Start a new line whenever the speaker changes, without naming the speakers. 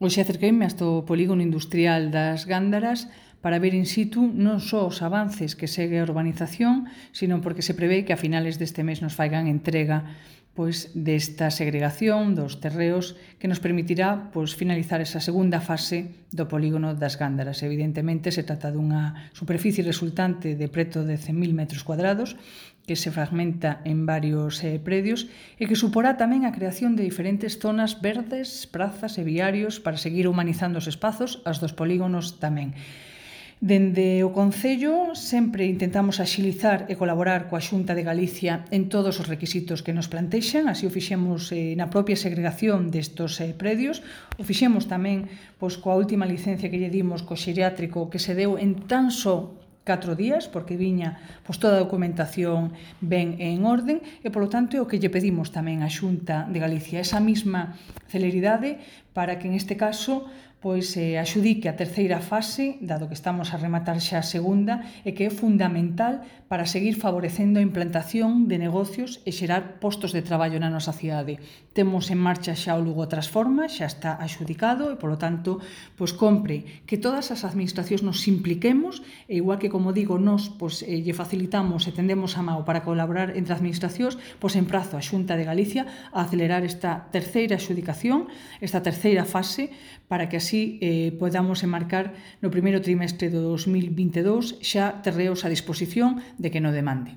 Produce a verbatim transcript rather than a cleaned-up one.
Hoxe acerqueime hasta o polígono industrial das Gándaras para ver in situ non só os avances que segue a urbanización, sino porque se prevé que a finales deste mes nos faigan entrega pois desta segregación dos terreos que nos permitirá pois finalizar esa segunda fase do polígono das Gándaras. Evidentemente se trata dunha superficie resultante de preto de cen mil metros cuadrados que se fragmenta en varios eh, predios e que suporá tamén a creación de diferentes zonas verdes, prazas e viarios para seguir humanizando os espazos, as dos polígonos tamén. Dende o Concello sempre intentamos axilizar e colaborar coa Xunta de Galicia en todos os requisitos que nos plantexan, así o fixemos eh, na propia segregación destos eh, predios, o fixemos tamén pois, coa última licencia que lle dimos co xeriátrico que se deu en tan só catro días, porque viña pois, toda a documentación ben en orden e, polo tanto, é o que lle pedimos tamén á Xunta de Galicia, esa mesma celeridade para que, en este caso, pois eh, axudique a terceira fase, dado que estamos a rematar xa a segunda, e que é fundamental para seguir favorecendo a implantación de negocios e xerar postos de traballo na nosa cidade. Temos en marcha xa o Lugo Transforma, xa está axudicado e, polo tanto, pois compre que todas as administracións nos impliquemos e, igual que, como digo, nos pois, eh, lle facilitamos e tendemos a mao para colaborar entre administracións, pois emprazo a Xunta de Galicia a acelerar esta terceira axudicación, esta terceira fase, para que así eh, podamos enmarcar no primeiro trimestre do dos mil vinte e dous xa terreos a disposición de que no demande.